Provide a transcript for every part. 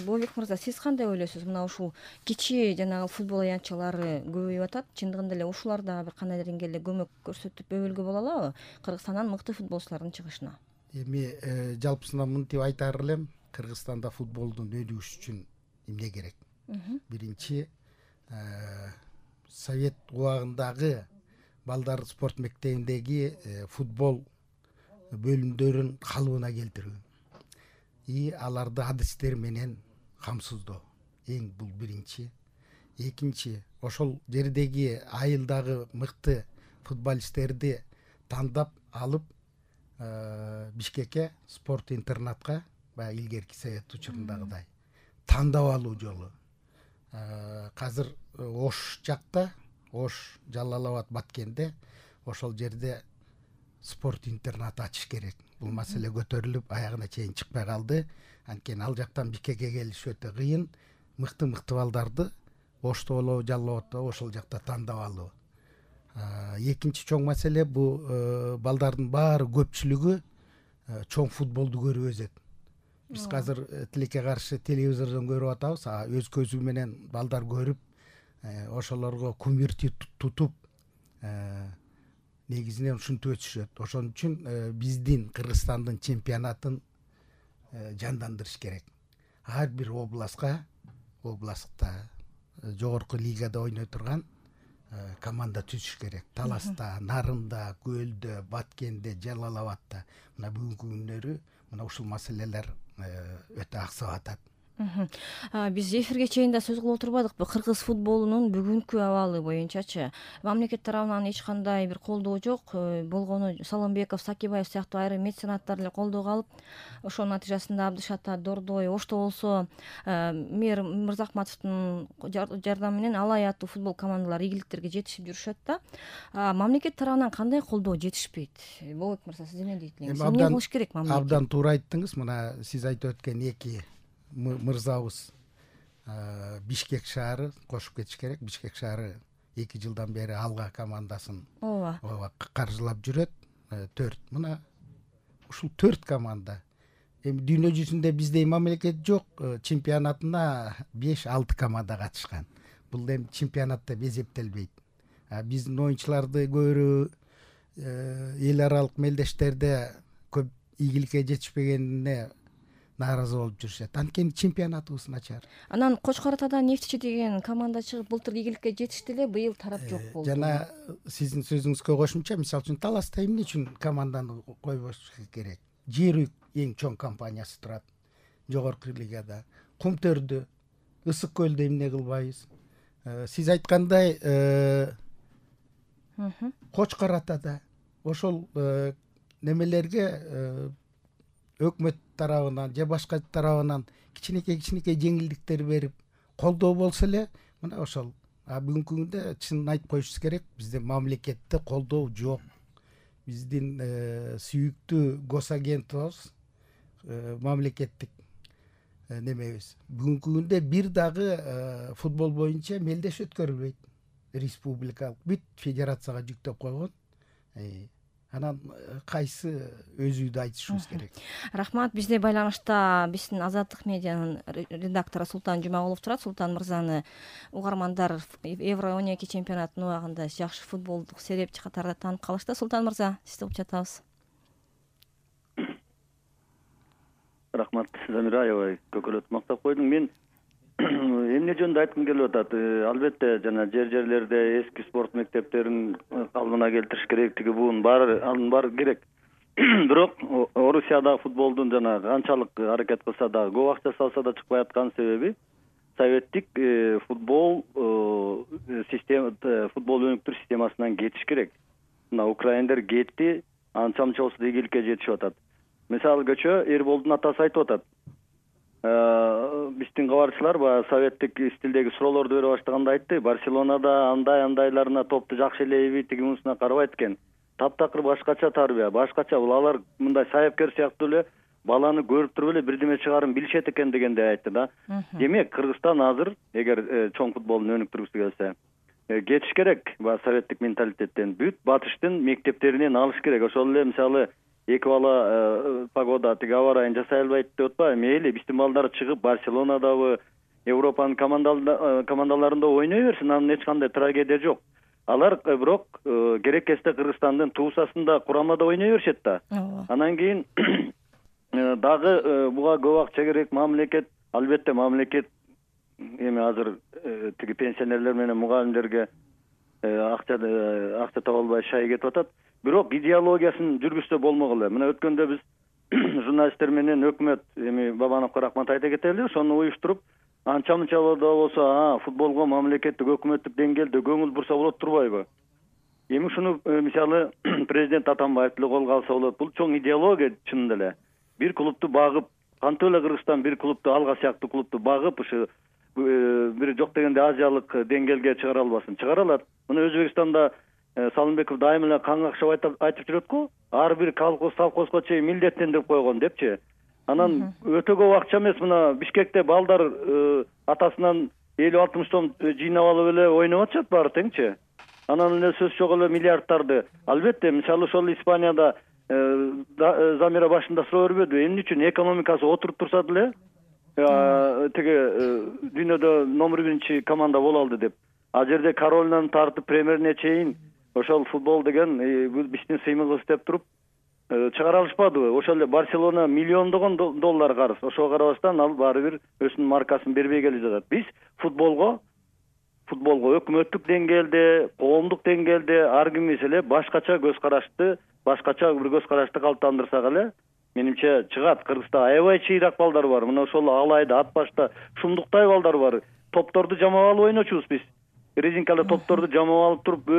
Болотбек мырза, сиз кандай ойлойсуз? Мына ушул кичи жанагы футбол аянтчалары көбөйүп атат. Чындыгында эле ушулар да бир кандай деңгээлде көмөк көрсөтүп өбөлгө боло алабы Кыргызстандан мыкты футболчулардын чыгышына? Эми жалпысынан мынтип айтаар элем, Кыргызстанда футболдун өнүгүшү үчүн эмне керек? Биринчи, совет убагындагы балдар спорт мектебиндеги футбол бөлүмдөрүн калыбына келтирүү и аларды адистер менен камсыздоо. Бул биринчи. Экинчи, ошол жердеги айылдагы мыкты футболисттерди тандап алып Бишкекке спорт интернатка, баягы илгерки совет учурундагыдай тандап алуу жолу. Азыр Ош жакта, Ош, Жалал Абад, Баткенде ошол жерде спорт интернат ачыш керек. Бул маселе көтөрүлүп аягына чейин чыкпай калды. Анткени ал жактан Бишкекке келиш өтө кыйын. Мыкты балдарды Ошто болобу, Жалал Абадта ошол жакта тандап алуу. Экинчи чоң маселе бул балдардын баары көпчүлүгү чоң футболду көрүп өсөт. Биз азыр тилекке каршы телевизордон көрүп атабыз, өз көзү менен балдар көрүп, ошолорго кумир тутуп, негизинен ушинтип өсүшөт. Ошон үчүн биздин Кыргызстандын чемпионатын жандандырыш керек. Ар бир областта жогорку лигада ойной турган команда түзүш керек. Таласта, Нарында, Көлдө, Баткенде, Жалал Абадта. Мына бүгүнкү күндөрү мына ушул маселелер өтө аксап атат. Биз эфирге чейин да сөз кылып отурбадыкпы? Кыргыз футболунун бүгүнкү абалы боюнчачы мамлекет тарабынан эч кандай бир колдоо жок. Болгону Салымбеков, Сакибаев сыяктуу айрым меценаттар эле колдоого алып, ошонун натыйжасында Абдыш Ата, Дордой, Ошто болсо мэр Мырзахматовдун жардамы менен Алай аттуу футбол командалары ийгиликтерге жетишип жүрүшөт да. Мамлекет тарабынан кандай колдоо жетишпейт? Болотбек мырза, сиз эмне дейт элеңиз? Эмне кылыш керек мамлекет? Абдан туура айттыңыз. Мына сиз айтып өткөн эки мырзабыз Бишкек шаары кошуп кетиш керек. Бишкек шаары 2 жылдан бери Алга командасын каржылап жүрөт. 4. Мына ушул 4 команда. Эми дүйнө жүзүндө биздей мамлекет жок. Чемпионатына 5-6 команда катышкан. Бул эми чемпионатта эсептелбейт. Биздин оюнчуларды көбүрөөкү эл аралык мелдештерде көп ийгиликке жетишпегенине нааразы болуп жүрүшөт. Анткени чемпионатыбыз начар. Анан Кочкор Атадан Нефтчи деген команда чыгып былтыр ийгиликке жетишти эле, быйыл тарап жок болду. Жана сиздин сөзүңүзгө кошумча, мисалы үчүн Таласта эмне үчүн команданы койбош керек? Жер эң чоң компаниясы турат жогорку лигада. Кумтөрдө, Ысык көлдө эмне кылбайбыз? Сиз айткандай Кочкор Атада ошол немелерге өкмөт тарабынан же башка тарабынан кичинекей жеңилдиктер берип колдоо болсо эле, мына ошол. Бүгүнкү күндө чынын айтып коюшубуз керек, бизде мамлекетте колдоо жок. Биздин сүйүктүү госагентибиз мамлекеттик немебиз. Бүгүнкү күндө бир дагы футбол боюнча мелдеш өткөрүлбөйт. Республикалык бүт федерацияга жүктөп койгон. Анан кайсы өзүдү айтышыбыз керек. Рахмат. Бизде байланышта биздин Азаттык медианын редактору Султан Жумагулов турат. Султан мырзаны угармандар Евро 12 чемпионатынын убагында жакшы футболдук серепчи катарында таанып калышты. Султан мырза, сизди угуп жатабыз. Рахмат, Замира аябай көкөлөтүп мактап койдуң. Мен эмне жөнүндө айткым келип атат? Албетте жана жерлерде эски спорт мектептерин калыбына келтириш керек, тиги буун анын баары керек. Бирок Орусиядагы футболдун жана канчалык аракет кылса дагы, көп акча салса да чыкпай аткан себеби советтик футбол өнүктүрүү системасынан кетиш керек. Мына украиндер кетти, анча мынча болсо ийгиликке жетишип атат. Мисалы көчө Эрболдун атасы айтып атат. Биздин кабарчылар баягы советтик стилдеги суроолорду бере баштаганда айтты, Барселонада андайларына топту жакшы элейби, тиги мунусуна карабайт экен. Таптакыр башкача тарбия, башкача. Бул алар мындай саяпкер сыяктуу эле баланы көрүп туруп эле бирдеме чыгарым билишет экен дегенде айтты да. Демек, Кыргызстан азыр эгер чоң футболун өнүктүргүсү келсе, кетиш керек баягы советтик менталитеттен, бүт батыштын мектептеринен алыш керек. Ошол эле мисалы эки бала погода тиги аба ырайын жасай албайт деп атпайбы. Мейли биздин балдар чыгып Барселонадабы, Европанын командаларында ойной берсин, анын эч кандай трагедия жок. Алар бирок керек кезде Кыргызстандын туусасында курамада ойной беришет да. Анан кийин дагы буга көп акча керек, мамлекет, албетте мамлекет эми азыр тиги пенсионерлер менен мугалимдерге акча таба албай шай кетип атат. Бирок идеологиясын жүргүзсө болмок эле. Мына өткөндө биз журналисттер менен өкмөт эми Бабановго рахмат айта кетели, ошону уюштуруп анча-мынча да болсо футболго мамлекеттик өкмөттүк деңгээлде көңүл бурса болот турбайбы? Эми ушуну мисалы президент Атамбаев деле колго алса болот. Бул чоң идеология чынында эле. Бир клубду багып, кантип эле Кыргызстан бир клубду, Алга сыяктуу клубду багып, ушу бир жок дегенде азиялык деңгээлге чыгара албасын? Чыгара алат. Мына Өзбекстанда Салымбеков дайыма эле кан какшап айтып жүрөт го. Ар бир колхозго чейин милдеттендирип койгон депчи. Анан өтө көп акча эмес, мына Бишкекте балдар атасынан 50-60 сом жыйнап алып эле ойноп атышат баары теңчи. Анан эле сөз жок эле миллиардтарды. Албетте, мисалы ошол Испанияда Замира башында суроо бербедиби? Эмне үчүн экономикасы отуруп турса деле тиги дүйнөдө номер 1 команда боло алды деп. А жерде Каролинаны тартып премьерине чейин ошол футбол деген биздин сыймыгыбыз деп туруп чыгара алышпадыбы? Ошол эле Барселона миллиондогон доллар карыз. Ошого карабастан ал баары бир өзүнүн маркасын бербей келе жатат. Биз футболго өкмөттүк деңгээлде, коомдук деңгээлде ар кимибиз эле башкача көз карашты калыптандырсак эле, менимче чыгат. Кыргызда аябай чыйрак балдар бар. Мына ошол Алайда, Атбашта шумдуктай балдар бар. Топторду жамап алып ойночубуз биз. Резинкалуу топторду жамап алып туруп,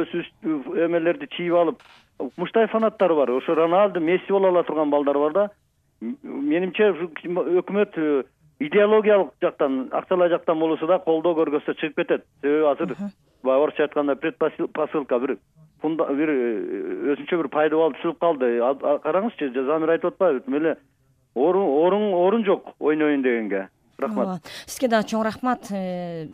эмелерди чийип алып, муштай фанаттар бар. Ошо Роналду, Месси боло ала турган балдар бар да. Менимче өкмөт идеологиялык жактан, акчалай жактан болсо да колдоо көргөзсө чыгып кетет. Себеби азыр орусча айтканда предпосылка бир өзүнчө бир пайда болуп түшүп калды. Караңызчы, Замир айтып атпайбы? Меле орун жок ойнойын дегенге. Рахмат. Сизге дагы чоң рахмат.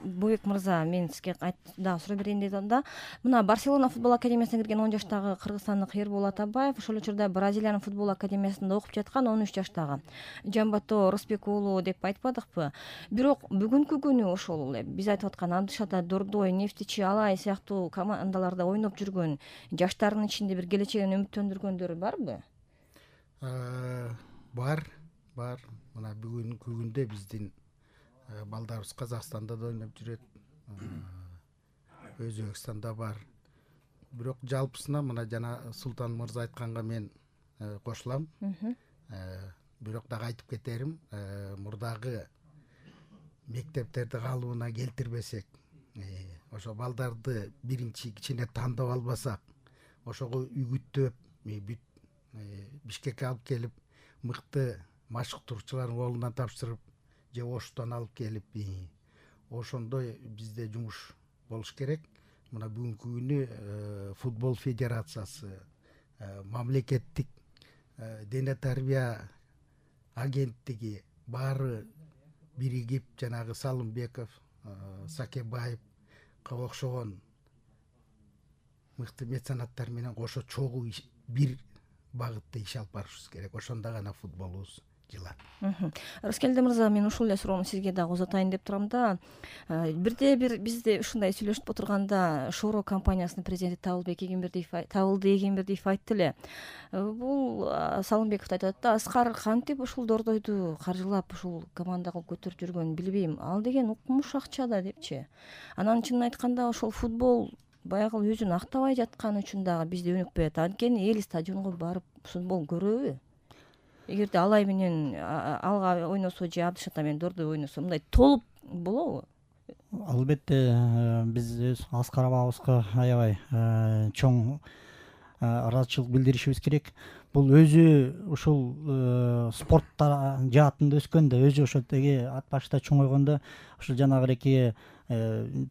Буйук мырза, мен сизге дагы суроо берейин дедим да. Мына Барселона футбол академиясына кирген 10 жаштагы кыргызстандык Эрбол Атабаев ошол учурда Бразилиянын футбол академиясында окуп жаткан 13 жаштагы Жамбато Рысбек уулу деп айтпадыкпы? Бирок бүгүнкү күнү ошол эле биз айтып аткан Абдышата, Дордой, Нефтичи, Алай сыяктуу командаларда ойноп жүргөн жаштардын ичинде бир келечегин үмүттөндүргөндөр барбы? Бар. Мына бүгүнкү күндө биздин балдарыбыз Казакстанда да ойноп жүрөт, Өзбекстанда бар. Бирок жалпысына мына жана Султан мырза айтканга мен кошулам. Бирок дагы айтып кетерим, мурдагы мектептерди калыбына келтирбесек, ошо балдарды биринчи кичине тандап албасак, ошого үгүттөп Бишкекке алып келип, мыкты машыктыруучулардын колунан тапшырып, же Оштон алып келип, ошондой бизде жумуш болуш керек. Мына бүгүнкү күнү футбол федерациясы, мамлекеттик дене тарбия агенттиги баары биригип, жанагы Салымбеков, Сакебаевга окшогон мыкты меценаттар менен кошо чогуу бир багытта иш алып барышыбыз керек. Ошондо гана футболубуз жылат. Рыскелди мырза, мен ушул эле суроону сизге дагы узатайын деп турам да. Бирде бир бизде ушундай сүйлөшүп отурганда Шоро компаниясынын президенти Табылды Эгембердиев айтты эле. Бул Салымбеков айтат да, Аскар кантип ушул Дордойду каржылап ушул команда кылып көтөрүп жүргөнүн билбейм. Ал деген укмуш акча да депчи. Анан чынын айтканда ошол футбол баягы өзүн актабай жатканы үчүн дагы бизде өнүкпөйт. Анткени эл стадионго барып футбол көрөбү? Эгерде Алай менен Алга ойносо же Абдышата менен Дордой ойносо мындай толуп болобу? Албетте, биз өз Аскар абабызга аябай чоң ыраазычылык билдиришибиз керек. Бул өзү ушул спорт жаатында өскөндө, өзү ошол теги Атбашта чоңойгондо, ушул жанагы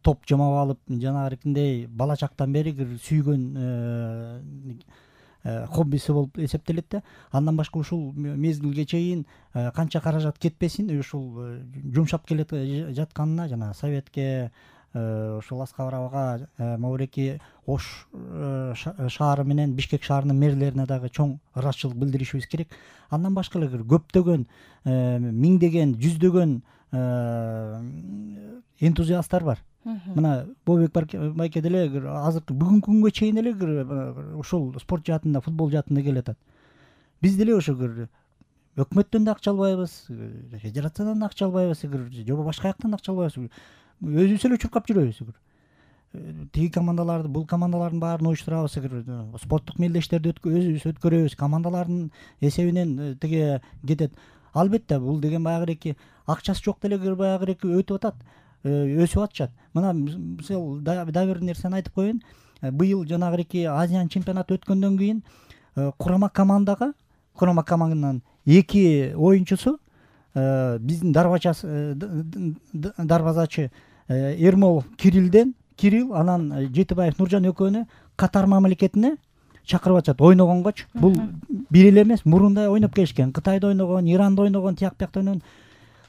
топ жамап алып, жанагы бала чактан бери сүйгөн хоббиси болуп эсептелет да. Андан башка ушул мезгилге чейин канча каражат кетпесин, ушул жумшап келе жатканына жана Советке ошол Аскар абага могуреки Ош шаары менен Бишкек шаарынын мэрлерине дагы чоң ыраазычылык билдиришибиз керек. Андан башка эле көптөгөн миңдеген жүздөгөн энтузиасттар бар. Мына Бобек байке деле азыркы бүгүнкү күнгө чейин эле ушул спорт жаатында, футбол жаатында келатат. Биз деле ошо өкмөттөн да акча албайбыз, федерациядан да акча албайбыз, же башка жактан да акча албайбыз. Өзүбүз эле чуркап жүрөбүз. Тиги командаларды, бул командалардын баарын уюштурабыз, спорттук мелдештерди өзүбүз өткөрөбүз, командалардын эсебинен тиги кетет. Албетте бул деген баягы акчасы жок деле баягы өтүп атат, өсүп атышат. Мына мисалы да бир нерсени айтып коеюн. Быйыл жанагы Азиан чемпионаты өткөндөн кийин курама команданын 2 оюнчусу биздин дарбазачы Эрмолов Кирилл анан Жетибаев Нуржан экөөнү Катар мамлекетине чакырып атышат ойногонгочу. Бул бир эле эмес, мурунда ойноп келишкен. Кытайда ойногон, Иранда ойногон, тияк биякта ойногон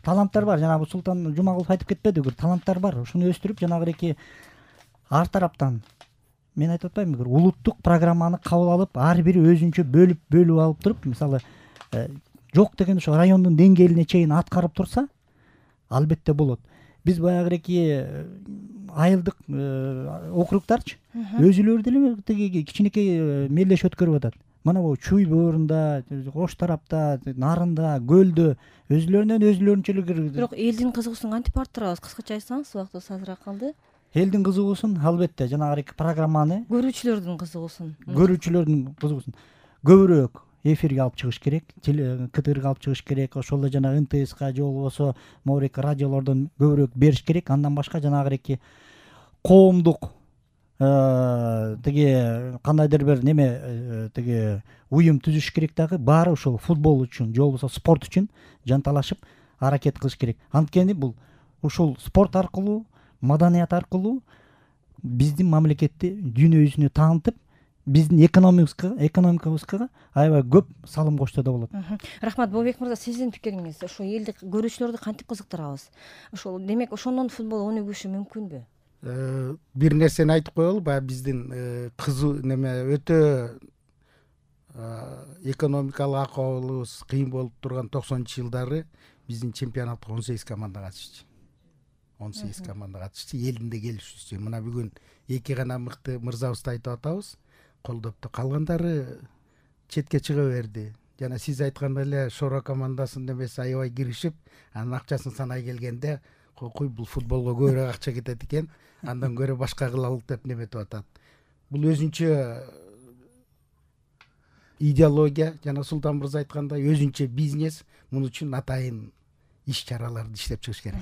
таланттар бар. Жанагы Султан Жумагулов айтып кетпеди, таланттар бар. Ушуну өстүрүп жанагы ар тараптан мен айтып атпаймынбы, улуттук программаны кабыл алып, ар бири өзүнчө бөлүп алып туруп, мисалы жок деген ошо райондун деңгээлине чейин аткарып турса, албетте болот. Биз баягы айылдык округдарчы өзүлөрү деле тиги кичинекей мелдеш өткөрүп атат. Мына бул Чуй боорунда, Ош тарапта, Нарында, Көлдө өзүлөрүнчө эле. Бирок элдин кызыгуусун кантип арттырабыз? Кыскача айтсаңыз, убактыбыз азыраак калды. Элдин кызыгуусун албетте жанагы программаны, Көрүүчүлөрдүн кызыгуусун көбүрөөк эфирге алып чыгыш керек, КТРга алып чыгыш керек, ошол эле жана НТСка же болбосо могуреки радиолордон көбүрөөк бериш керек. Андан башка жанагы коомдук тиги кандайдыр бир неме тиги уюм түзүш керек дагы. Баары ушул футбол үчүн же болбосо спорт үчүн жанталашып аракет кылыш керек. Анткени бул ушул спорт аркылуу, маданият аркылуу биздин мамлекетти дүйнө жүзүнө таанытып, биздин экономикабызга аябай көп салым кошсо да болот. Рахмат. Бобек мырза, сиздин пикириңиз, ошо элдик көрүүчүлөрдү кантип кызыктырабыз? Ошол демек ошондон футбол өнүгүшү мүмкүнбү? Бир нерсени айтып коелу, баягы биздин өтө экономикалык акыбалыбыз кыйын болуп турган 90-жылдары биздин чемпионатка 18 команда катышчу. 18 команда катышчу, элинде келишүүсү. Мына бүгүн 2 гана мыкты мырзабызды айтып атабыз, колдопту. Калгандары четке чыга берди. Жана сиз айткандай эле Шора командасынын эмеси аябай киришип, анын акчасын санай келгенде, койкуй бул футболго көбүрөөк акча кетет экен, андан көрө башка кылалык деп неметип атат. Бул өзүнчө идеология, жана Султан мырза айткандай өзүнчө бизнес. Муну үчүн атайын иш чараларды иштеп чыгыш керек.